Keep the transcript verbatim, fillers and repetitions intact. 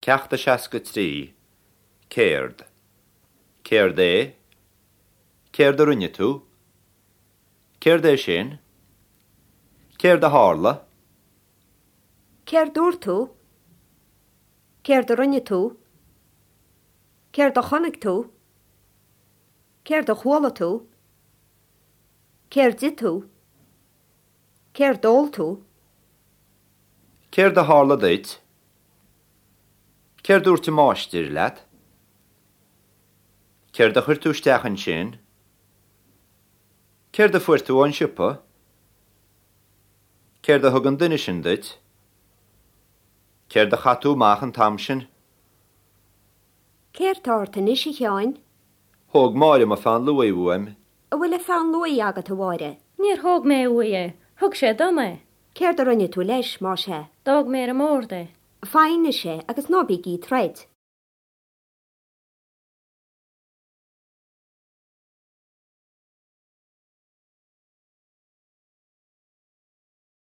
Ceacht a seasca trí. Céard. Céard é? Céard a rinne tú? Céard é sin? Céard a tharla? Céard dúirt tú? Céard a rinne tú? Céard a chonaic tú? Céard a chuala tú? Céard d'ith tú? Céard d'ól tú? Céard a tharla duit? Céard dúirt an máistir leat? Céard a chuir tú isteach ansin? Céard a fuair tú ón siopa? Céard a thug an duine sin duit? Céard a chaith tú amach an t-am sin? Céard atá ort anois a Sheáin? Thóg Máire mo pheann luaidhe uaim. An bhfuil peann luaidhe agat a Mháire? Níor thóg mé uaidh é, thug sé dom é. Céard a rinne tú leis más ea? D'fhág mé ar an mbord é. Faigh anois é agus ná bígí ag troid.